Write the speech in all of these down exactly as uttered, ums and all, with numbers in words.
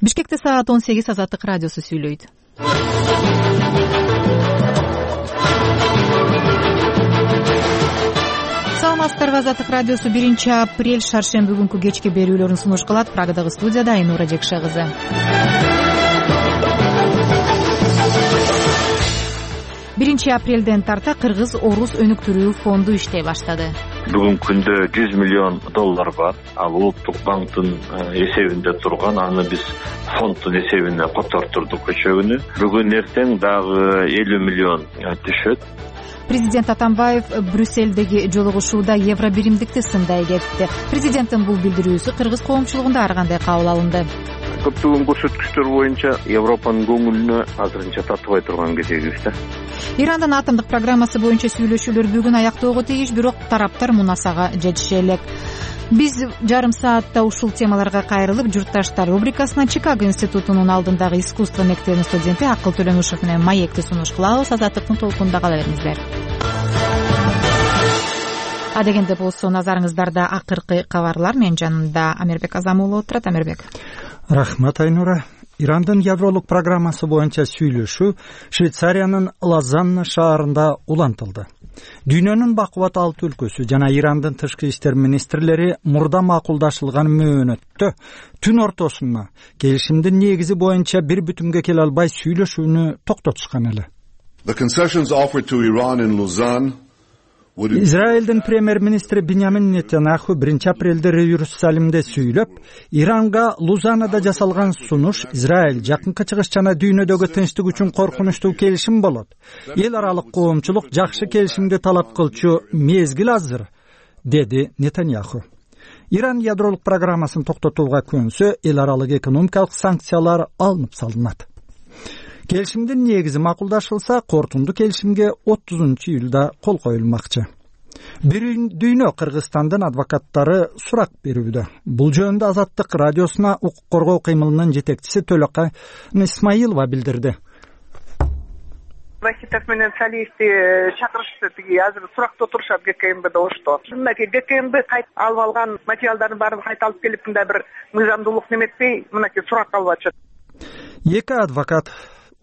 Бишкекте саат он сегиз. Азаттык радиосу сүйлөйт. Саламатсыздарбы, Азаттык радиосу биринчи апрель шаршемби күнкү кечки берүүлөрүн сунуш кылат. Прагадагы студияда Айнура Жекше кызы. биринчи апрелден тарта Кыргыз Орус өнүктүрүү фонду иштей баштады. Бүгүнкү күндө жүз миллион доллар бар. Ал улуттук банктын эсебинде турган. Аны биз фонддун эсебине котортурдук өчө күнү. Бүгүн эртең дагы элүү миллион түшөт. Президент Атамбаев Брюссельдеги жолугушууда евро биримдикти сындай кетти. Президенттин бул билдирүүсү кыргыз коомчулугунда ар кандай кабыл алынды. Көптөгөн көрсөткүчтөр боюнча Европанын көңүлүнө азырынча тартыбай турган кезегибиз да. Ирандын атомдук программасы боюнча сүйлөшүүлөр бүгүн аяктоого тийиш, бирок тараптар мунасага жетише элек. Биз жарым саатта ушул темаларга кайрылып, журтташтар рубрикасына Чикаго институтунун алдындагы искусство мектебинин студенти Акыл Төлөмүшев менен маекти сунуш кылабыз. Азаттыктын толкунунда кала бериңиздер. Адегенде болсо назарыңыздарда акыркы кабарлар. Менин жанымда Амирбек Азам уулу отурат. Амирбек. Рахмат, Айнура. Ирандын ядролук программасы боюнча сүйлөшүү Швейцариянын Лозанна шаарында улантылды. Дүйнөнүн бакубат алты өлкөсү жана Ирандын тышкы иштер министрлери мурда макулдашылган мөөнөттө түн ортосуна келишимдин негизи боюнча бир бүтүмгө келе албай сүйлөшүүнү токтотушкан эле. The concessions offered to Iran in Lausanne Израилдин премьер-министри Биньямин Нетаньяху биринчи апрелде Иерусалимде сүйлөп, Иранга Лузанада жасалган сунуш Израиль жакынкы чыгыш жана дүйнөдөгү тынчтык үчүн коркунучтуу келишим болот. Эл аралык коомчулук жакшы келишимди талап кылчу мезгил азыр, деди Нетаньяху. Иран ядролук программасын токтотууга көнсө, эл аралык экономикалык санкциялар алынып салынат. Келишимдин негизи макулдашылса, кортунду келишимге отузунчу июлда кол коюлмакчы. Бир дүйнө Кыргызстандын адвокаттары сурак берүүдө. Бул жөнүндө Азаттык радиосуна укук коргоо кыймылынын жетекчиси Төлөкай Исмаилова билдирди. Вахитов менен Салиевди чакырышты, тиги азыр суракта отурушат гэ ка эм бэ ошто. Мынакей гэ ка эм бэ кайт алып алган материалдардын баарын кайта алып келип, мындай бир мыйзамдуулук неметпей, мынакей сурак алып атышат. Эки адвокат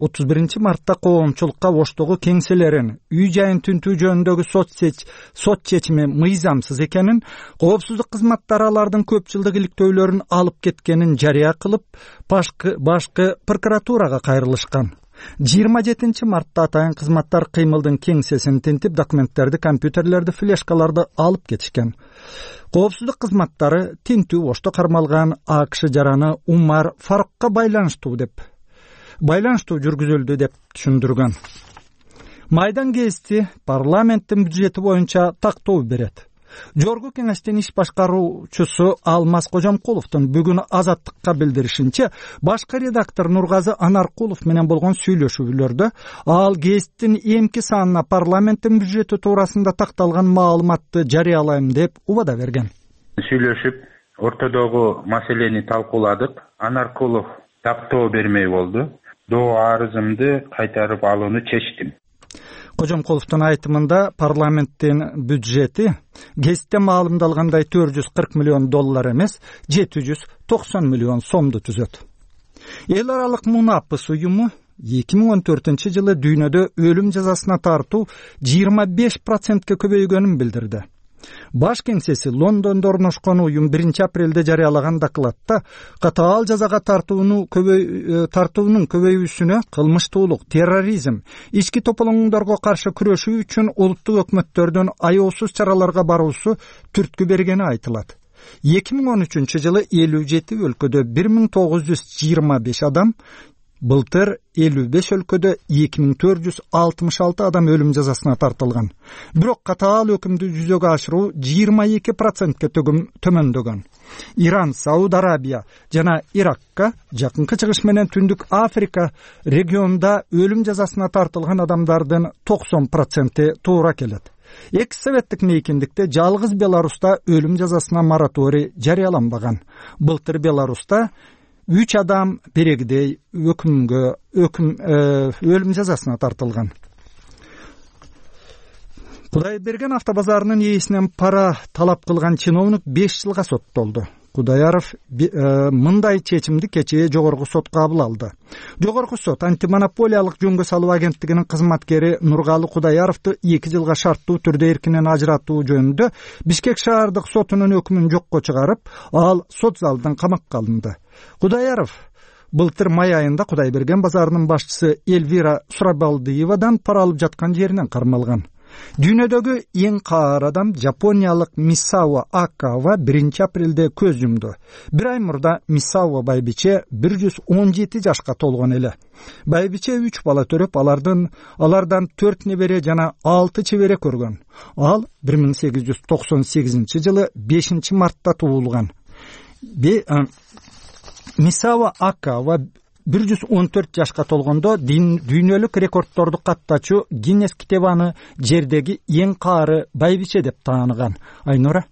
отуз биринчи мартта коомчулукка Оштогу кеңселерин үй жайын түнтүү жөнүндөгү сот сот чечими мыйзамсыз экенин, коопсуздук кызматтары алардын көп жылдык иликтөөлөрүн алып кеткенин жарыя кылып, башкы башкы прокуратурага кайрылышкан. жыйырма жетинчи мартта атайын кызматтар кыймылдын кеңсесин тинтип, документтерди, компьютерлерди, флешкаларды алып кетишкен. Коопсуздук кызматтары тинтүү Ошто кармалган А К Ш жараны Умар Фарукка байланыштуу деп байланыштуу жүргүзүлдү деп түшүндүргөн. Майдан гезити парламенттин бюджети боюнча тактоо берет. Жогорку кеңештин иш башкаруучусу Алмаз Кожомкуловдун бүгүн Азаттыкка билдиришинче, башкы редактор Нургазы Анаркулов менен болгон сүйлөшүүлөрдө ал гезиттин эмки санына парламенттин бюджети туурасында такталган маалыматты жарыялайм деп убада берген. Сүйлөшүп, ортодогу маселени талкууладык. Анаркулов тактоо бермей болду. Доо арызымды кайтарып алууну чечтим. Кожомкуловдун айтымында парламенттин бюджети гезитте маалымдалгандай төрт жүз кырк миллион доллар эмес, жети жүз токсон миллион сомду түзөт. Эл аралык мунапыс уюму эки миң он төртүнчү жылы дүйнөдө өлүм жазасына тартуу жыйырма беш процентке көбөйгөнүн билдирди. Баш кеңсеси Лондондо орношкон уюм биринчи апрелде жарыялаган докладта катаал жазага тартууну көбөй тартуунун көбөйүүсүнө кылмыштуулук, терроризм, ички тополоңдорго каршы күрөшүү үчүн улуттук өкмөттөрдүн аяосуз чараларга баруусу түрткү бергени айтылат. эки миң он үчүнчү жылы элүү жети өлкөдө бир миң тогуз жүз жыйырма беш адам, былтыр элүү беш өлкөдө эки миң төрт жүз алтымыш алты адам өлүм жазасына тартылган. Бирок катаал өкүмдү жүзөгө ашыруу жыйырма эки процентке төмөндөгөн. Иран, Сауд Арабия жана Иракка, жакынкы чыгыш менен Түндүк Африка регионунда өлүм жазасына тартылган адамдардын токсон проценти туура келет. Экс советтик мейкиндикте жалгыз Беларуста өлүм жазасына мораторий жарыяланбаган. Былтыр Беларуста үч адам берегидей өкүмгө өкүм өлүм жазасына тартылган. Кудайберген автобазарынын ээсинен пара талап кылган чиновник беш жылга соттолду. Кудаяров мындай чечимди кечээ жогорку сот кабыл алды. Жогорку сот антимонополиялык жөнгө салуу агенттигинин кызматкери Нургалы Кудаяровду эки жылга шарттуу түрдө эркинен ажыратуу жөнүндө Бишкек шаардык сотунун өкмүн жокко чыгарып, ал сот залынан камакка алынды. Кудаяров былтыр май айында Кудайберген базарынын башчысы Эльвира Сурабалдиевадан пара алып жаткан жеринен кармалган. Дүйнөдөгү эң каар адам Жапониялык Мисао Акава биринчи апрелде көз жумду. Бир ай мурда Мисао байбиче бир жүз он жети жашка толгон эле. Байбиче үч бала төрөп, алардын алардан төрт небере жана алты чебере көргөн. Ал бир миң сегиз жүз токсон сегизинчи жылы бешинчи мартта туулган. Мисао Акава бир жүз он төрт жашка толгондо дүйнөлүк рекордторду каттачу Гиннес китебаны жердеги эң каары байбиче деп тааныган. Айнура.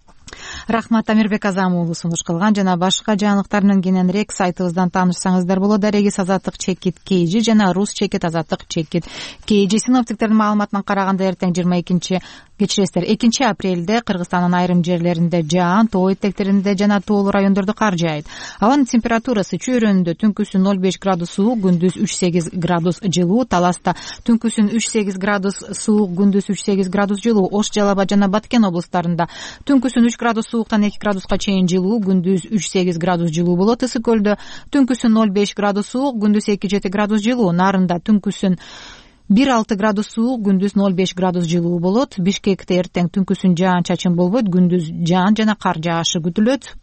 Рахмат, Амирбек Азам уулу сунуш кылган. Жана башка жаңылыктар менен кененирээк сайтыбыздан таанышсаңыздар болот. Регис азаттык чекит Кейжи жана Рус чекит азаттык чекит Кейжи. Синоптиктердин маалыматына караганда эртең жыйырма экинчи кечиресиздер экинчи апрелде Кыргызстандын айрым жерлеринде жаан, тоо этектеринде жана тоолуу райондордо кар жаайт. Абанын температурасы чөйрөнүндө түнкүсүн ноль беш градус суук, күндүз үч сегиз градус жылуу, Таласта түнкүсүн үч сегиз градус суук, күндүз үч сегиз градус жылуу, Ош, Жалал Абад жана Баткен облустарында түнкүсүн үч градус сууктан эки градуска чейин жылуу, күндүз үч сегиз градус жылуу болот. Ысык көлдө түнкүсүн ноль беш градус суук, күндүз эки жети градус жылуу, Нарында түнкүсүн бир алты градус суук, күндүз ноль беш градус жылуу болот. Бишкекте эртең түнкүсүн жаан чачын болбойт, күндүз жаан жана кар жаашы күтүлөт.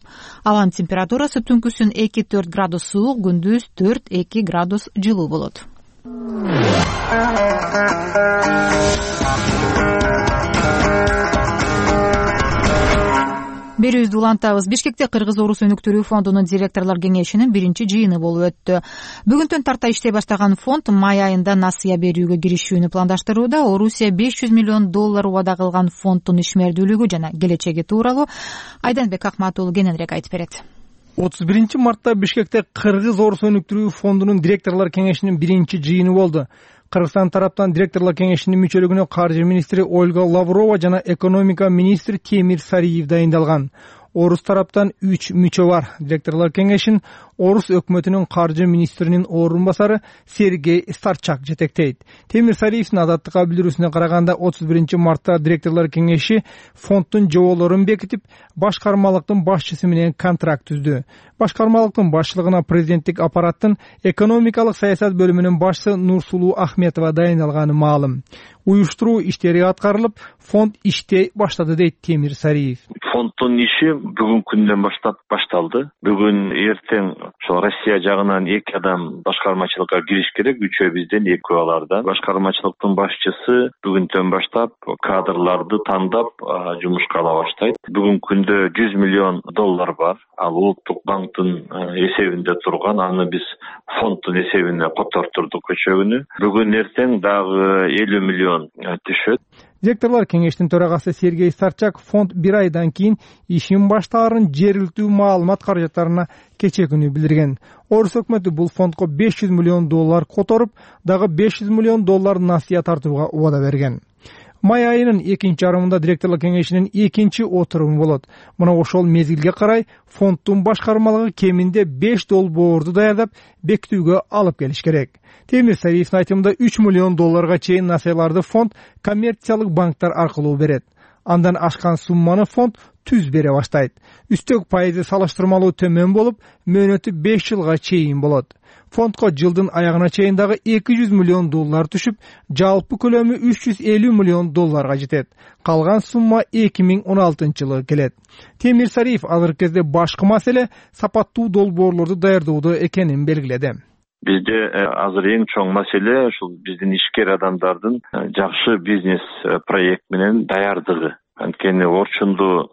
Абанын температурасы түнкүсүн эки төрт градус суук, күндүз төрт эки градус жылуу болот. Берүүбүздү улантабыз. Бишкекте Кыргыз Орус өнүктүрүү фондунун директорлор кеңешинин биринчи жыйыны болуп өттү. Бүгүндөн тарта иштей баштаган фонд май айында насыя берүүгө киришүүнү пландаштырууда. Орусия беш жүз миллион доллар убада кылган фонддун ишмердүүлүгү жана келечеги тууралуу Айданбек Акмат уулу кененирээк айтып берет. отуз биринчи мартта Бишкекте Кыргыз Орус өнүктүрүү фондунун директорлор кеңешинин биринчи жыйыны болду. Кыргызстан тараптан директорлор кеңешинин мүчөлүгүнө каржы министри Ольга Лаврова жана экономика министри Темир Сариев дайындалган. Орус тараптан үч мүчө бар. Директорлор кеңешин Орус өкмөтүнүн каржы министринин орун басары Сергей Старчак жетектейт. Темир Сариевдин Азаттыкка билдирүүсүнө караганда отуз биринчи мартта директорлор кеңеши фонддун жоболорун бекитип, башкармалыктын башчысы менен контракт түздү. Башкармалыктын башчылыгына президенттик аппараттын экономикалык саясат бөлүмүнүн башчысы Нурсулуу Ахметова дайындалганы маалым. Уюштуруу иштери аткарылып, фонд иштей баштады дейт Темир Сариев. Фонддун иши бүгүнкү күндөн баштап башталды. Бүгүн эртең ошо Россия жагынан эки адам башкармачылыкка кириш керек, үчөө бизден, экөө алардан. Башкармачылыктын башчысы бүгүндөн баштап кадрларды тандап жумушка ала баштайт. Бүгүнкү күндө жүз миллион доллар бар. Ал Улуттук банктын эсебинде турган, аны биз фонддун эсебине котортурдук көчөгүнү. Бүгүн эртең дагы элүү миллион түшөт. Директорлор кеңештин төрагасы Сергей Старчак фонд бир айдан кийин ишин баштаарын жергиликтүү маалымат каражаттарына кечээ күнү билдирген. Орус өкмөтү бул фондко беш жүз миллион доллар которуп, дагы беш жүз миллион доллар насыя тартууга убада берген. Май айынын экинчи жарымында директорлор кеңешинин экинчи отуруму болот. Мына ошол мезгилге карай фонддун башкармалыгы кеминде беш долбоорду даярдап, бекитүүгө алып келиш керек. Темир Сариевдин айтымында үч миллион долларга чейин насыяларды фонд коммерциялык банктар аркылуу берет. Андан ашкан сумманы фонд түз бере баштайт. Үстөк пайызы салыштырмалуу төмөн болуп, мөөнөтү беш жылга чейин болот. Фондко жылдын аягына чейин дагы эки жүз миллион доллар түшүп, жалпы көлөмү үч жүз элүү миллион долларга жетет. Калган сумма эки миң он алтынчы жылы келет. Темир Сариев азыркы кезде башкы маселе сапаттуу долбоорлорду даярдоодо экенин белгиледи. Бизде азыр эң чоң маселе ушул биздин ишкер адамдардын жакшы бизнес проект менен даярдыгы. Анткени орчундуу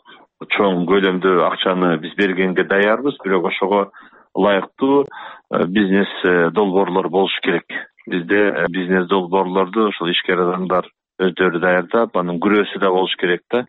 чоң көлөмдө акчаны биз бергенге даярбыз, бирок ошого ылайыктуу бизнес долбоорлор болуш керек. Бизде бизнес долбоорлорду ошол ишкер адамдар өздөрү даярдап, анын күрөөсү да болуш керек да.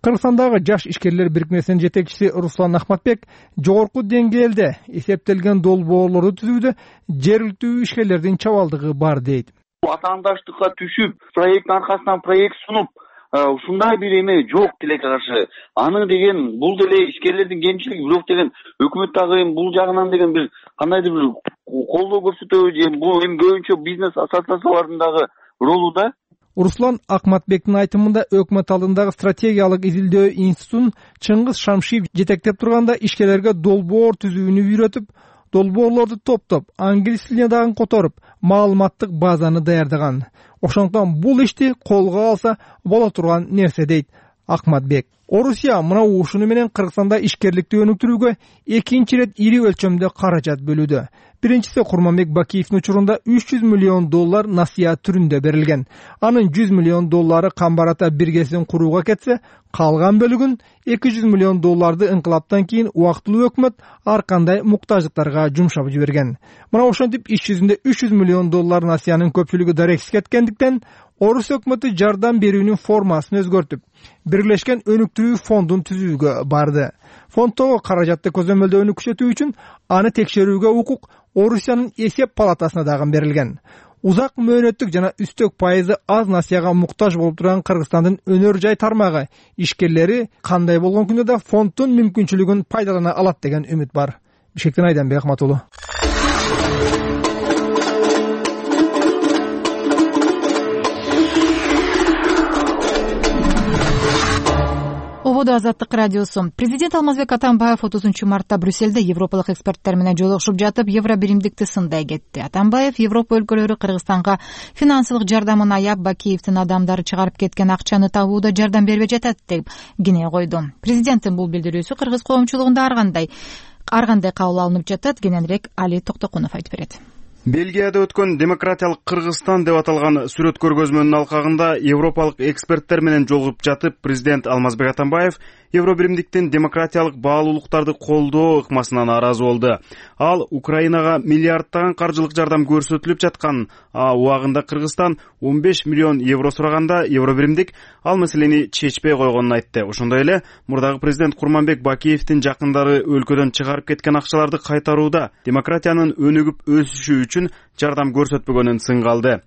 Кыргызстандагы жаш ишкерлер бирикмесинин жетекчиси Руслан Ахматбек жогорку деңгээлде эсептелген долбоорлорду түзүүдө жергиликтүү ишкерлердин чабалдыгы бар дейт. Атаандаштыкка түшүп, проект аркасынан проект сунуп, ушундай бир эме жок тилекке каршы. Аны деген бул деле ишкерлердин кемчилиги, бирок деген өкмөт дагы эми бул жагынан деген бир кандайдыр бир колдоо көрсөтөбү же бул эми көбүнчө бизнес ассоциациялардын дагы ролу да. Руслан Акматбектин айтымында өкмөт алдындагы стратегиялык изилдөө институтун Чыңгыз Шамшиев жетектеп турганда ишкерлерге долбоор түзүүнү үйрөтүп, долбоорлорду топтоп, англис тилине дагы которуп, маалыматтык базаны даярдаган. Ошондуктан бул ишти колго алса боло турган нерсе дейт Акматбек. Орусия мына ушуну менен Кыргызстанда ишкерликти өнүктүрүүгө экинчи ирет ири өлчөмдө каражат бөлүүдө. Биринчиси Курманбек Бакиевдин учурунда үч жүз миллион доллар насыя түрүндө берилген. Анын жүз миллион доллары Камбар ата биргесин курууга кетсе, калган бөлүгүн эки жүз миллион долларды инкылаптан кийин убактылуу өкмөт ар кандай муктаждыктарга жумшап жиберген. Мына ошентип иш жүзүндө үч жүз миллион доллар насыянын көпчүлүгү дарексиз кеткендиктен Орус өкмөтү жардам берүүнүн формасын өзгөртүп, Бирлешкен өнүктүрүү фондун түзүүгө барды. Фонддогу каражатты көзөмөлдөөнү күчөтүү үчүн аны текшерүүгө укук Орусиянын эсеп палатасына дагы берилген. Узак мөөнөттүк жана үстөк пайызы аз насыяга муктаж болуп турган Кыргызстандын өнөр жай тармагы ишкерлери кандай болгон күндө да фонддун мүмкүнчүлүгүн пайдалана алат деген үмүт бар. Бишкектен Айданбек Ахматулу. Ободо Азаттык радиосу. Президент Алмазбек Атамбаев отузунчу мартта Брюссельде европалык эксперттер менен жолугушуп жатып, евро биримдикти сындай кетти. Атамбаев Европа өлкөлөрү Кыргызстанга финансылык жардамын аяп, Бакиевдин адамдары чыгарып кеткен акчаны табууда жардам бербей жатат деп кине койду. Президенттин бул билдирүүсү кыргыз коомчулугунда ар кандай ар кандай кабыл алынып жатат? Кененирээк Али Токтокунов айтып берет. Бельгияда өткөн демократиялык Кыргызстан деп аталган сүрөт көргөзмөнүн алкагында европалык эксперттер менен жолугуп жатып, президент Алмазбек Атамбаев евро биримдиктин демократиялык баалуулуктарды колдоо ыкмасына нааразы болду. Ал Украинага миллиардтаган каржылык жардам көрсөтүлүп жаткан, а убагында Кыргызстан он беш миллион евро сураганда евро биримдик ал маселени чечпей койгонун айтты. Ошондой эле мурдагы президент Курманбек Бакиевдин жакындары өлкөдөн чыгарып кеткен акчаларды кайтарууда демократиянын өнүгүп өсүшү үчүн жардам көрсөтпөгөнүн сынга алды.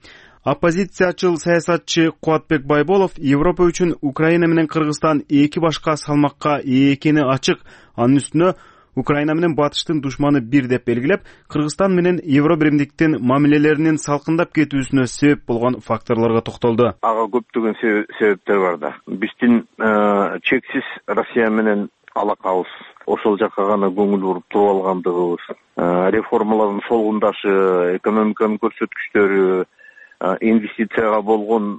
Оппозициячыл саясатчы Кубатбек Байболов Европа үчүн Украина менен Кыргызстан эки башка салмакка ээ экени ачык. Анын үстүнө Украина менен батыштын душманы бир деп белгилеп, Кыргызстан менен евро биримдиктин мамилелеринин салкындап кетүүсүнө себеп болгон факторлорго токтолду. Ага көптөгөн себептер бар да. Биздин чексиз Россия менен алакабыз, ошол жакка гана көңүл буруп туруп алгандыгыбыз, реформалардын солгундашы, экономиканын көрсөткүчтөрү, инвестицияга болгон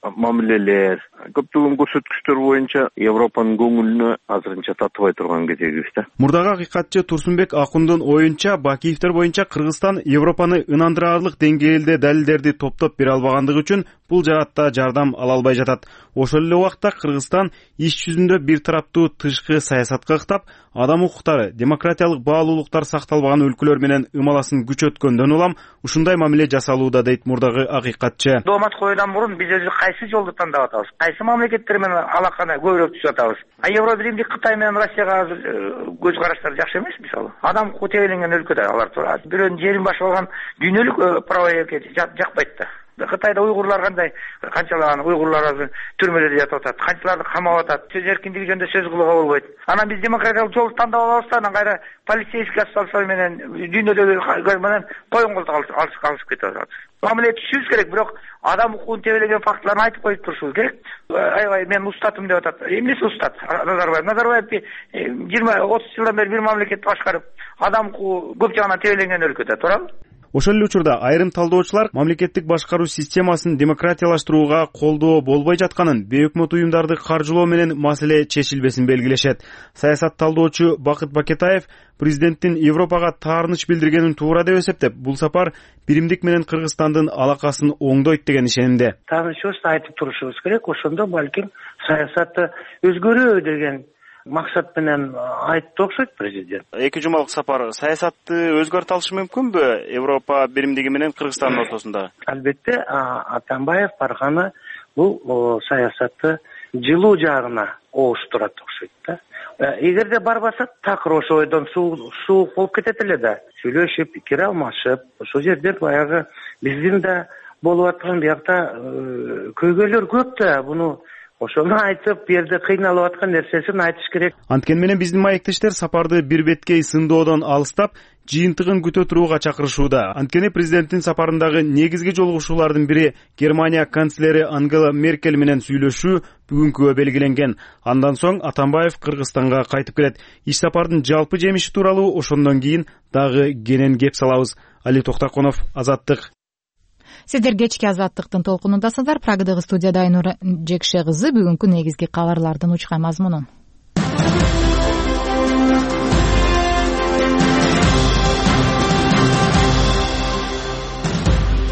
мамилелер, көптөгөн көрсөткүчтөр боюнча Европанын көңүлүнө азырынча татыбай турган кезегибиз да. Мурдагы акыйкатчы Турсунбек Акундун оюнча, Бакиевдер боюнча Кыргызстан Европаны ынандырарлык деңгээлде далилдерди топтоп бере албагандыгы үчүн бул жаатта жардам ала албай жатат. Ошол эле убакта Кыргызстан иш жүзүндө бир тараптуу тышкы саясатка ыктап, адам укуктары, демократиялык баалуулуктар сакталбаган өлкөлөр менен ымаласын күчөткөндөн улам ушундай мамиле жасалууда дейт мурдагы акыйкатчы. Доомат коюудан мурун биз өзү кайсы жолду тандап атабыз? Кайсы мамлекеттер менен алаканы көбүрөөк түзүп атабыз? А евро биримдик Кытай менен Россияга азыр көз караштары жакшы эмес мисалы. Адам укугу тебеленген өлкөдө алар турат. Бирөөнүн жерин башып алган дүйнөлүк право эркинчилик жакпайт да. Кытайда уйгурлар кандай, канчалаган уйгурлар азыр түрмөлөрдө жатып атат, канчаларды камап атат, сөз эркиндиги жөнүндө сөз кылууга болбойт. Анан биз демократиялык жолду тандап алабыз да, анан кайра полицейский абзал менен дүйнөдөгү менен коюн колтук алышып кетип атат. Мамиле түшүбүз керек, бирок адам укугун тебелеген фактыларды айтып коюп турушубуз керек. Аябай мен устатым деп атат. Эмнеси устат? Назарбаев. Назарбаев жыйырма отуз жылдан бери бир мамлекетти башкарып, адам укугу көп жагынан тебеленген өлкөдө туурабы? Ошол эле учурда айрым талдоочулар мамлекеттик башкаруу системасын демократиялаштырууга колдоо болбой жатканын, бейөкмөт уюмдарды каржылоо менен маселе чечилбесин белгилешет. Саясат талдоочу Бакыт Бакетаев президенттин Европага таарыныч билдиргенин туура деп эсептеп, бул сапар биримдик менен Кыргызстандын алакасын оңдойт деген ишенимде. Таанышыбызды айтып турушубуз керек, ошондо балким саясатты өзгөрүү деген максат менен айтты окшойт президент. Эки жумалык сапар саясатты өзгөртө алышы мүмкүнбү Европа биримдиги менен Кыргызстандын ортосунда? Албетте, Атамбаев барганы бул саясатты жылуу жагына ооштурат окшойт да. Эгерде барбаса, такыр ошо ойдон суук болуп кетет эле да. Сүйлөшүп, пикир алмашып, ошол жерде баягы биздин да болуп аткан биякта көйгөйлөр көп да, буну ошону айтып, бу жерде кыйналып аткан нерсесин айтыш керек. Анткени менен биздин маектештер сапарды бир беткей сындоодон алыстап, жыйынтыгын күтө турууга чакырышууда. Анткени президенттин сапарындагы негизги жолугушуулардын бири Германия канцлери Ангела Меркель менен сүйлөшүү бүгүнкүгө белгиленген. Андан соң Атамбаев Кыргызстанга кайтып келет. Иш сапардын жалпы жемиши тууралуу ошондон кийин дагы кенен кеп салабыз. Али Токтаконов, Азаттык. Сиздер кечки Азаттыктын толкунундасыздар. Прагадагы студияда Айнура Жекше кызы бүгүнкү негизги кабарлардын учкан мазмунун.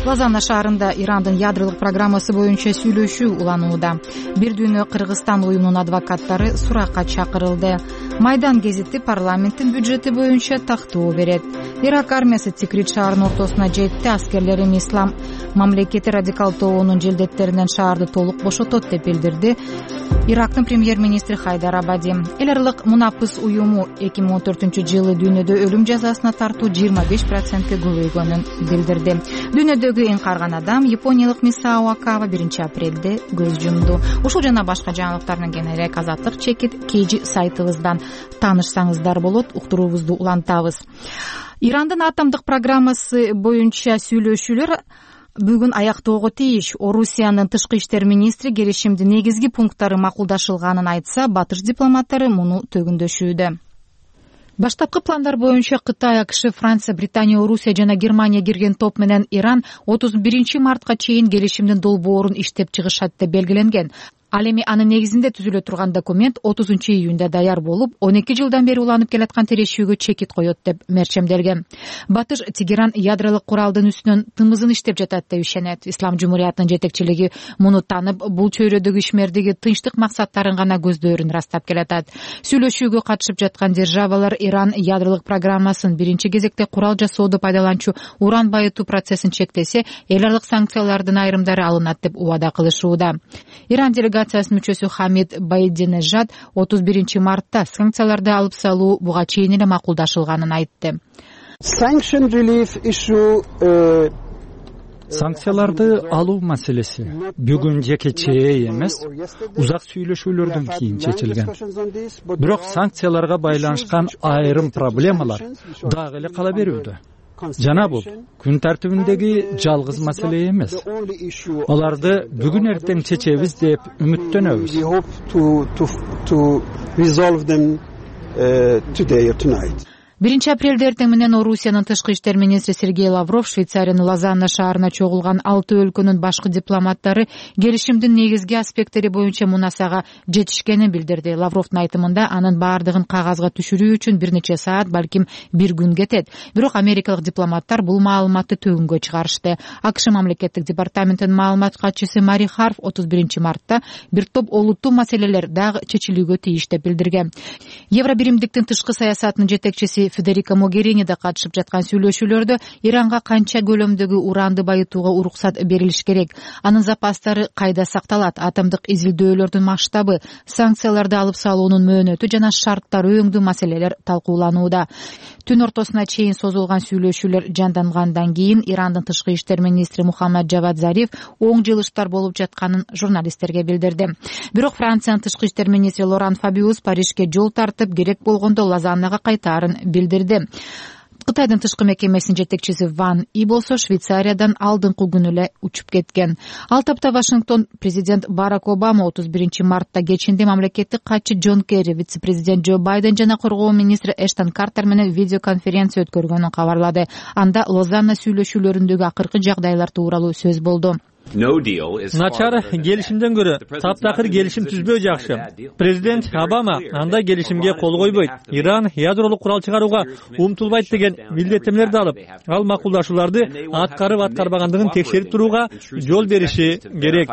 Лозанна шаарында Ирандын ядролук программасы боюнча сүйлөшүү уланууда. Бир дүйнө Кыргызстан уюмунун адвокаттары суракка чакырылды. Майдан гезити парламенттин бюджети боюнча тактоо берет. Ирак армиясы Тикрит шаарынын ортосуна жетти. Аскерлери Ислам мамлекети радикал тобунун желдеттеринен шаарды толук бошотот деп билдирди Ирактын премьер-министри Хайдар Абади. Эл аралык мунапыс уюму эки миң он төртүнчү жылы дүйнөдө өлүм жазасына тартуу жыйырма беш процентке көбөйгөнүн билдирди. Дүйнөдөгү эң карган адам япониялык Мисао Акава биринчи апрелде көз жумду. Ушул жана башка жаңылыктар менен кененирээк Азаттык чекит Кежи сайтыбыздан таанышсаңыздар болот. Уктуруубузду улантабыз. Ирандын атомдук программасы боюнча сүйлөшүүлөр бүгүн аяктоого тийиш. Орусиянын тышкы иштер министри келишимдин негизги пункттары макулдашылганын айтса, батыш дипломаттары муну төгүндөшүүдө. Баштапкы пландар боюнча Кытай, АКШ, Франция, Британия, Орусия жана Германия кирген топ менен Иран отуз биринчи мартка чейин келишимдин долбоорун иштеп чыгышат деп белгиленген. Ал эми анын негизинде түзүлө турган документ отузунчу июнда даяр болуп, он эки жылдан бери уланып келаткан тирешүүгө чекит коет деп мерчемделген. Батыш Тегеран ядролук куралдын үстүнөн тымызын иштеп жатат деп ишенет. Ислам жумуриятынын жетекчилиги муну таанып, бул чөйрөдөгү ишмердиги тынчтык максаттарын гана көздөрүн ырастап келатат. Сүйлөшүүгө катышып жаткан державалар Иран ядролук программасын биринчи кезекте курал жасоодо пайдаланчу уран байытуу процессин чектесе, эл аралык санкциялардын айрымдары алынат деп убада кылышууда. Иран делегациясынын мүчөсү Хамид Байдинежад отуз биринчи мартта санкцияларды алып салуу буга чейин эле макулдашылганын айтты. Санкцияларды алуу маселеси бүгүн жекечээ эмес, узак сүйлөшүүлөрдөн кийин чечилген. Бирок санкцияларга байланышкан айрым проблемалар дагы эле кала берүүдө. Жана бул күн тартибиндеги жалгыз маселе эмес. Аларды бүгүн эртең чечебиз деп үмүттөнөбүз. биринчи апрелде эртең менен Орусиянын тышкы иштер министри Сергей Лавров Швейцариянын Лозанна шаарына чогулган алты өлкөнүн башкы дипломаттары келишимдин негизги аспекттери боюнча мунасага жетишкенин билдирди. Лавровдун айтымында анын баардыгын кагазга түшүрүү үчүн бир нече саат, балким бир күн кетет. Бирок америкалык дипломаттар бул маалыматты төгүнгө чыгарышты. АКШ мамлекеттик департаментинин маалымат катчысы Мари Харф отуз биринчи мартта бир топ олуттуу маселелер дагы чечилүүгө тийиш деп билдирген. Евробиримдиктин тышкы саясатынын жетекчиси Федерика Могерини да катышып жаткан сүйлөшүүлөрдө Иранга канча көлөмдөгү уранды байытууга уруксат берилиш керек, анын запастары кайда сакталат, атомдук изилдөөлөрдүн масштабы, санкцияларды алып салуунун мөөнөтү жана шарттары өңдүү маселелер талкууланууда. Түн ортосуна чейин созулган сүйлөшүүлөр жандангандан кийин Ирандын тышкы иштер министри Мухаммад Жавад Зариф оң жылыштар болуп жатканын журналисттерге билдирди. Бирок Франциянын тышкы иштер министри Лоран Фабиус Парижге жол тартып, керек болгондо Лозаннага кайтаарын билдирди. Кытайдын тышкы мекемесинин жетекчиси Ван И болсо Швейцариядан алдыңкы күнү эле учуп кеткен. Ал тапта Вашингтон президент Барак Обама отуз биринчи мартта кечинде мамлекеттик катчы Джон Керри, вице-президент Джо Байден жана коргоо министри Эштон Картер менен видеоконференция өткөргөнүн кабарлады. Анда Лозанна сүйлөшүүлөрүндөгү акыркы жагдайлар тууралуу сөз болду. Начар келишимден көрө таптакыр келишим түзбөө жакшы. Президент Обама андай келишимге кол койбойт. Иран ядролук курал чыгарууга умтулбайт деген милдеттемелерди алып, ал макулдашууларды аткарып аткарбагандыгын текшерип турууга жол бериши керек,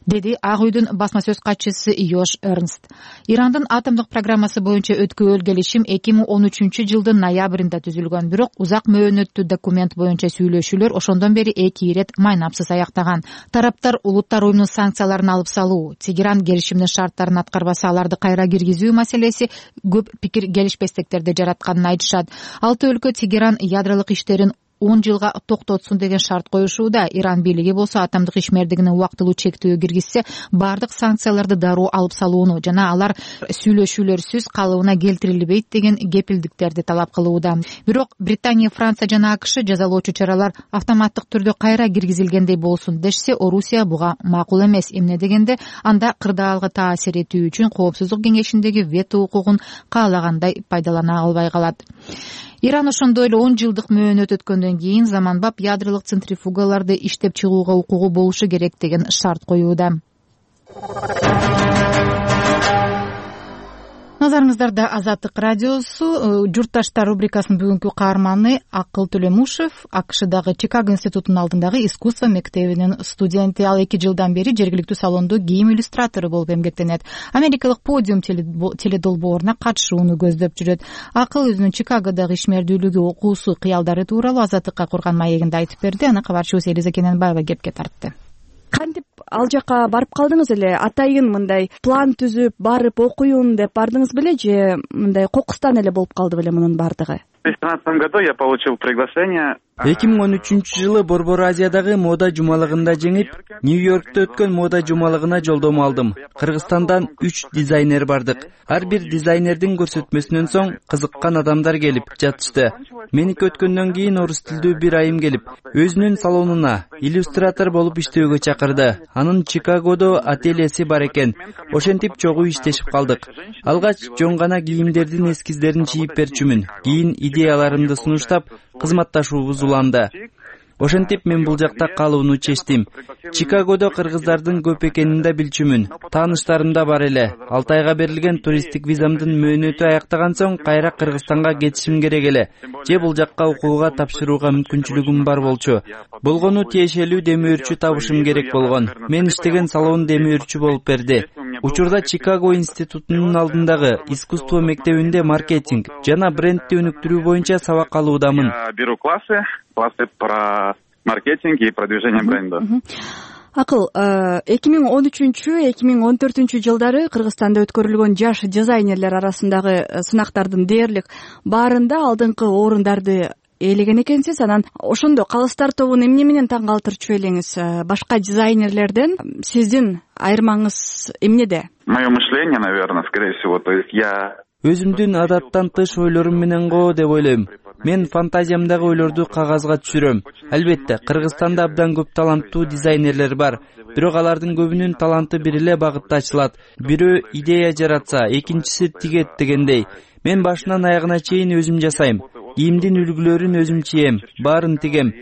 деди Ак үйдүн басма сөз катчысы Йош Эрнст. Ирандын атомдук программасы боюнча өткөрүл келишим эки миң он үчүнчү жылдын ноябрында түзүлгөн, бирок узак мөөнөттүү документ боюнча сүйлөшүүлөр ошондон бери эки ирет майнапсыз аяктаган. Тараптар улуттар уюмунун санкцияларын алып салуу, Тегеран келишимдин шарттарын аткарбаса аларды кайра киргизүү маселеси көп пикир келишпестиктерди жаратканын айтышат. Алты өлкө Тегеран ядролук иштерин он жылга токтотсун деген шарт коюшууда. Иран бийлиги болсо атомдук ишмердигине убактылуу чектөө киргизсе баардык санкцияларды дароо алып салууну жана алар сүйлөшүүлөрсүз калыбына келтирилбейт деген кепилдиктерди талап кылууда. Бирок Британия, Франция жана АКШ жазалоочу чаралар автоматтык түрдө кайра киргизилгендей болсун дешсе, Орусия буга макул эмес. Эмне дегенде анда кырдаалга таасир этүү үчүн Коопсуздук кеңешиндеги вето укугун каалагандай пайдалана албай калат. Иран ошондой эле он жылдык мөөнөт өткөндөн кийин заманбап ядролук центрифугаларды иштеп чыгууга укугу болушу керек деген шарт коюуда. Назарыңыздарда Азаттык радиосу. Журтташтар рубрикасынын бүгүнкү каарманы Акыл Төлөмушев, АКШдагы Чикаго институтунун алдындагы искусство мектебинин студенти. Ал эки жылдан бери жергиликтүү салондо кийим иллюстратору болуп эмгектенет. Америкалык Подиум теледолбооруна катышууну көздөп жүрөт. Акыл өзүнүн Чикагодогу ишмердүүлүгү, окуусу, кыялдары тууралуу Азаттыкка курган маегинде айтып берди. Аны кабарчыбыз Элиза Кененбаева кепке тартты. Кантип ал жака барып калдыңыз эле? Атайын мындай план түзүп барып окуйм деп бардыңыз беле же мындай кокустан эле болуп калды беле мунун баардыгы? В две тысячи тринадцатом году я получил приглашение. эки миң он үчүнчү жылы Борбор Азиядагы мода жумалыгында жеңип, Нью-Йоркто өткөн мода жумалыгына жолдомо алдым. Кыргызстандан үч дизайнер бардык. Ар бир дизайнердин көрсөтмөсүнөн соң кызыккан адамдар келип жатышты. Меники өткөндөн кийин орус тилдүү бир айым келип, өзүнүн салонуна иллюстратор болуп иштөөгө чакырды. Анын Чикагодо ательеси бар экен. Ошентип чогуу иштешип калдык. Алгач жон гана кийимдердин эскиздерин чийип берчүмүн. Кийин идеяларымды сунуштап, кызматташуубуз уланды. Ошентип мен бул жакта калууну чечтим. Чикагодо кыргыздардын көп экенин да билчүмүн. Тааныштарым да бар эле. алты айга берилген туристтик визамдын мөөнөтү аяктаган соң кайра Кыргызстанга кетишим керек эле. Же бул жакка окууга тапшырууга мүмкүнчүлүгүм бар болчу. Болгону тиешелүү демөөрчү табышым керек болгон. Мен иштеген салон демөөрчү болуп берди. Учурда Чикаго институтунун алдындагы искусство мектебинде маркетинг жана брендти өнүктүрүү боюнча сабак алуудамын. Беру классы, классы про маркетинг и продвижение бренда. Акыл, эки миң он үчүнчү эки миң он төртүнчү жылдары Кыргызстанда өткөрүлгөн жаш дизайнерлер арасындагы сынактардын дээрлик баарында алдыңкы орундарды ээлеген экенсиз. Анан ошондо Калыстар тобун эмне менен таң калтырчу элеңиз? Башка дизайнерлерден сиздин айырмаңыз эмнеде? Мое мышление, наверное, скорее всего, то есть я өзүмдүн адаттан тыш ойлорум менен го деп ойлойм. Мен фантазиямдагы ойлорду кагазга түшүрөм. Албетте, Кыргызстанда абдан көп таланттуу дизайнерлер бар. Бирок алардын көбүнүн таланты бир эле багытта ачылат. Бирөө идея жаратса, экинчиси тигет дегендей. Мен башынан аягына чейин өзүм жасайм. Кийимдин үлгүлөрүн өзүм чийем, баарын тигем.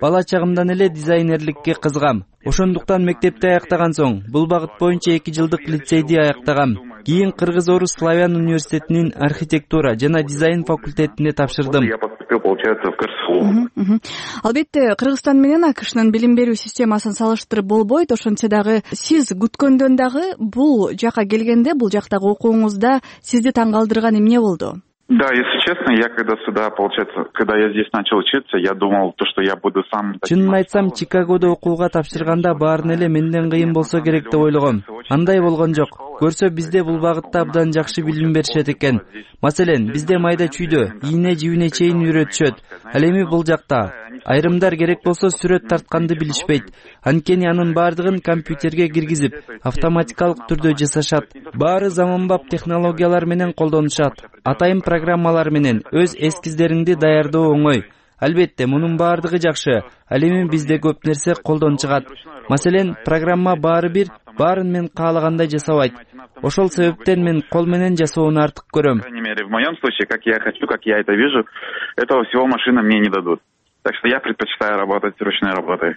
Бала чагымдан эле дизайнерликке кызыгам. Ошондуктан мектепти аяктаган соң бул багыт боюнча эки жылдык лицейди аяктагам. Кийин Кыргыз-Орус славян университетинин архитектура жана дизайн факультетине тапшырдым. Я поступил, получается, в КырСУ. Албетте, Кыргызстан менен АКШнын билим берүү системасын салыштырып болбойт. Ошентсе дагы сиз күткөндөн дагы бул жака келгенде, бул жактагы окууңузда сизди таң калтырган эмне болду? Да, если честно, я когда сюда, получается, когда я здесь начал учиться, я думал, то, что я буду сам... Чынын айтсам, Чикагодо окууга тапшырганда баарын эле менден кыйын болсо керек деп ойлогом. Андай болгон жок. Көрсө бизде бул багытта абдан жакшы билим беришет экен. Маселен, бизде майда чүйдө, ийне жибине чейин үйрөтүшөт. Ал эми бул жакта айрымдар керек болсо сүрөт тартканды билишпейт. Анткени анын баардыгын компьютерге киргизип, автоматикалык түрдө жасашат. Баары заманбап технологиялар менен колдонушат. Атайын программалар менен өз эскиздериңди даярдоо оңой. Албетте, мунун баардыгы жакшы. Ал эми бизде көп нерсе колдон чыгат. Маселен, программа баары бир, баарын мен каалагандай жасабайт. Ошол себептен мен кол менен жасоону артык көрөм. По крайней мере, в моем случае, как я хочу, как я это вижу, этого всего машина мне не дадут. Так что я предпочитаю работать ручной работой.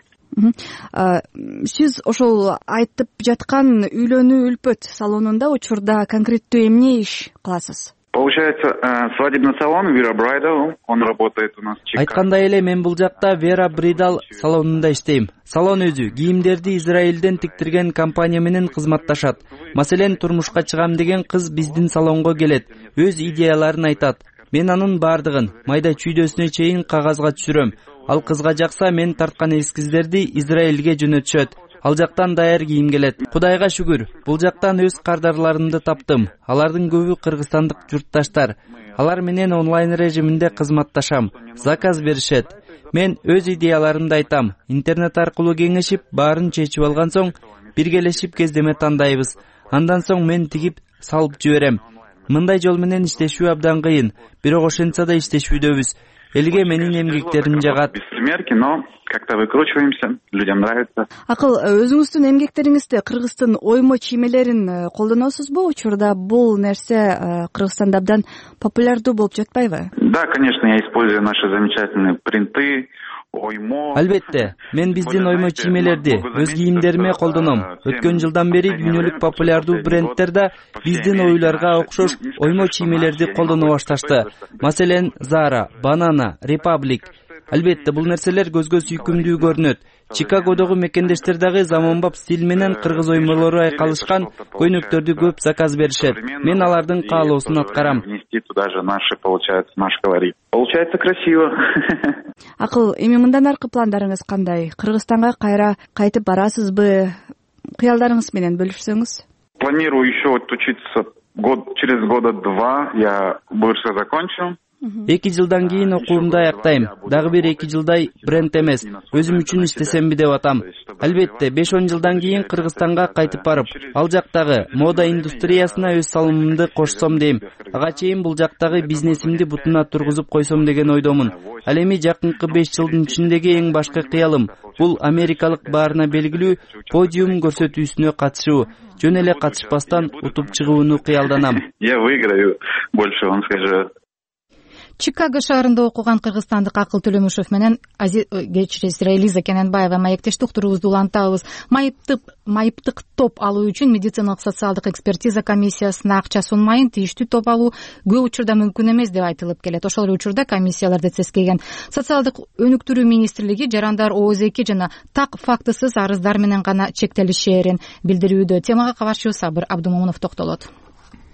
Сиз ошол айтып жаткан үйлөнүү үлпөт салонунда учурда конкреттүү эмне иш кыласыз? Получается, свадебный салон Vera Bridal, он работает у нас в Чикаго. Айткандай эле мен бул жакта Vera Bridal салонунда иштейм. Салон өзү кийимдерди Израилден тиктирген компания менен кызматташат. Маселен, турмушка чыгам деген кыз биздин салонго келет, өз идеяларын айтат. Мен анын баардыгын майда чүйдөсүнө чейин кагазга түшүрөм. Ал кызга жакса, мен тарткан эскиздерди Израилге жөнөтүшөт. Ал жактан даяр кийим келет. Кудайга шүгүр, бул жактан өз кардарларымды таптым. Алардын көбү кыргызстандык журтташтар. Алар менен онлайн режиминде кызматташам. Заказ беришет. Мен өз идеяларымды айтам. Интернет аркылуу кеңешип, баарын чечип алган соң биргелешип кездеме тандайбыз. Андан соң мен тигип салып жиберем. Мындай жол менен иштешүү абдан кыйын, бирок ошентсе да иштешүүдөбүз. Элге менин эмгектерим жагат. Беспримерки, но как-то выкручиваемся, людям нравится. Акыл, өзүңүздүн эмгектериңизде Кыргыздын оймо чиймелерин колдоносузбу? Учурда бул нерсе Кыргызстанда абдан популярдуу болуп жатпайбы? Да, конечно, я использую наши замечательные принты. Албетте, мен биздин оймо чиймелерди өз кийимдериме колдоном. Өткөн жылдан бери дүйнөлүк популярдуу бренддер да биздин ойлорго окшош оймо чиймелерди колдоно башташты. Маселен, Zara, Banana, Republic. Албетте, бул нерселер көзгө сүйкүмдүү көрүнөт. Чикагодогу мекендештер дагы заманбап стиль менен кыргыз оймолору айкалышкан көйнөктөрдү көп заказ беришет. Мен алардын каалоосун аткарам. Туда же наши, получается, наш колорит. Получается красиво. Акыл, эми мындан аркы пландарыңыз кандай? Кыргызстанга кайра кайтып барасызбы? Кыялдарыңыз менен бөлүшсөңүз. Планирую еще отучиться год, через года два я больше закончу. Эки жылдан кийин окуумду аяктайм. Дагы бир эки жылдай бренд эмес, өзүм үчүн иштесемби деп атам. Албетте, беш он жылдан кийин Кыргызстанга кайтып барып, ал жактагы мода индустриясына өз салымымды кошсом дейм. Ага чейин бул жактагы бизнесимди бутуна тургузуп койсом деген ойдомун. Ал эми жакынкы беш жылдын ичиндеги эң башкы кыялым бул америкалык баарына белгилүү подиум көрсөтүүсүнө катышуу. Жөн эле катышпастан утуп чыгууну кыялданам. Я выиграю, больше он скажет. Чикаго шаарында окуган кыргызстандык Акыл Төлөмүшев менен кечиресиз Элиза Кененбаева маектештик уктуруубузду улантабыз. Майыптык майыптык топ алуу үчүн медициналык социалдык экспертиза комиссиясына акча сунмайын тийиштүү топ алуу көп учурда мүмкүн эмес деп айтылып келет. Ошол эле учурда комиссияларды цескеген социалдык өнүктүрүү министрлиги жарандар ооз эки жана так фактысыз арыздар менен гана чектелишээрин билдирүүдө. Темага кабарчыбыз Сабыр Абдумомунов токтолот.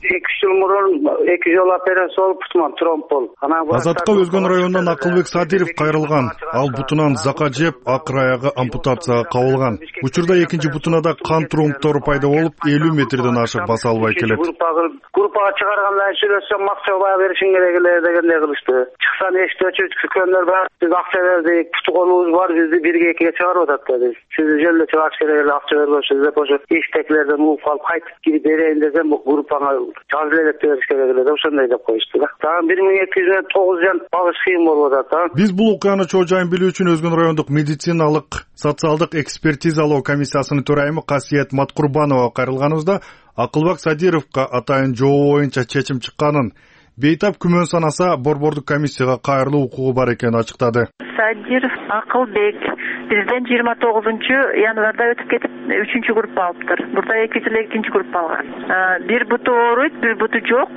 эки жыл мурун эки жолу операция болуп бутуман тромб болуп. Азатка Өзгөн районунан Акылбек Садиров кайрылган. Ал бутунан зака жеп, акыр аягы ампутацияга кабылган. Учурда экинчи бутуна да кан тромбтору пайда болуп, элүү метрден ашык баса албай келет. Группага чыгаргандан сүйлөсөм акча баа беришиң керек эле дегендей кылышты. Чыксан эшикти өчүп чыккандар бар. Биз акча бердик, путуконубуз бар, бизди бирге экиге чыгарып атат dedi. Сизди жөлдө чыгарыш керек эле, акча бербөйсүз деп ошо иштекилерден угуп калып кайтып кирип берейин десем, группага жазып элек бериш керек эле деп ошондой деп коюшту да. Дагы бир миң эки жүз тогуз жан багыш кыйын болуп атат. Биз бул окуяны чоо жайын билүү үчүн Өзгөн райондук медициналык социалдык экспертизалоо комиссиясынын төрайымы Касиет Маткурбанова кайрылганыбызда Акылбек Садировго атайын жобо боюнча чечим чыкканын, бейтап күмөн санаса борбордук комиссияга кайрылуу укугу бар экенин ачыктады. Садиров Акылбек бизден жыйырма тогузунчу январда өтүп кетип үчүнчү группа алыптыр. Бурда эки жыл экинчи группа алган. Бир буту ооруйт, бир буту жок.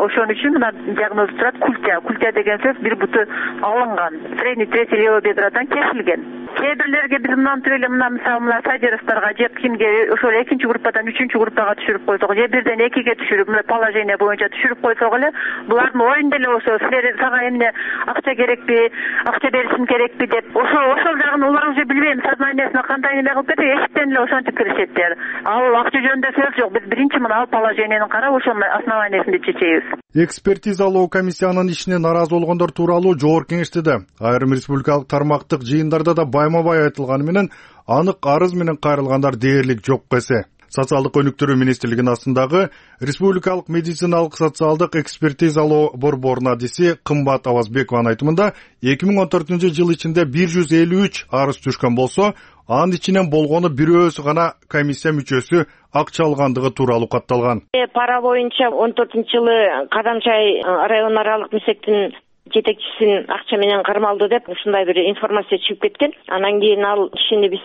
Ошон үчүн мына диагноз турат культя. Культя деген сөз бир буту алынган. Средний третий левый бедродан кесилген. Кээ бирлерге биз мынантип эле мына мисалы мына Садировторго же кимге ошол экинчи группадан үчүнчү группага түшүрүп койсок, же бирден экиге түшүрүп мына положение боюнча түшүрүп койсок эле булардын оюнда эле ошо силер сага эмне акча керекпи, акча беришим керекпи деп ошо ошол жагын улар уже билбейм сознаниясына кандай неме кылып кетип эшиктен эле ошентип киришеттер. Ал акча жөнүндө сөз жок. Биз биринчи мына ал положениени карап ошонун основаниясында чечебиз. Экспертизалоо комиссиянын ишине нааразы болгондор тууралуу жогорку кеңештеде айрым республикалык тармактык жыйындарда да байма-бай айтылганы менен анык арыз менен кайрылгандар дээрлик жок эсе. Социалдык өнүктүрүү министрлигинин астындагы Республикалык медициналык социалдык экспертизалоо борборунун адиси Кымбат Авазбекованын айтымында эки миң он төртүнчү жыл ичинде бир жүз элүү үч арыз түшкөн болсо, анын ичинен болгону бирөөсү гана комиссия мүчөсү акча алгандыгы тууралуу катталган. Пара боюнча он төртүнчү жылы Кадамчай район аралык мисектин жетекчисин акча менен кармалды деп ушундай бир информация чыгып кеткен. Анан кийин ал кишини биз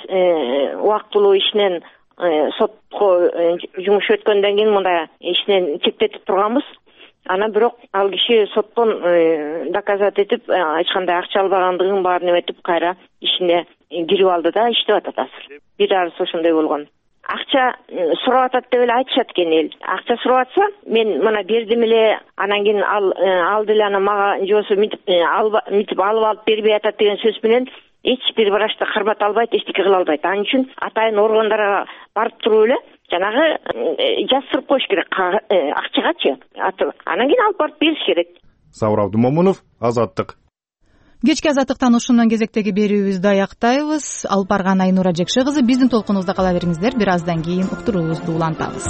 убактылуу ишинен сотко жумуш өткөндөн кийин мындай ишинен чектетип турганбыз. Анан бирок ал киши соттон доказать этип эч кандай акча албагандыгын баарын эметип кайра ишине кирип алды да иштеп атат азыр. Бир арыз ошондой болгон. Акча сурап атат деп эле айтышат экен эл. Акча сурап атса, мен мына бердим эле, анан кийин ал алды эле анан мага жосу митип митип алып алып бербей атат деген сөз менен эч бир врачты кармата албайт, эчтеке кыла албайт. Анын үчүн атайын органдарга барып туруп эле жанагы жаздырып коюш керек акчагачы. Анан кийин алып барып бериш керек. Сабыр Абдумомунов, Азаттык. кечки азаттыктан ушундан кезектеги берүүбүздү аяктайбыз. Алып барган Айнура Жекше кызы. Биздин толкунубузда кала бериңиздер. Бир аздан кийин уктуруубузду улантабыз.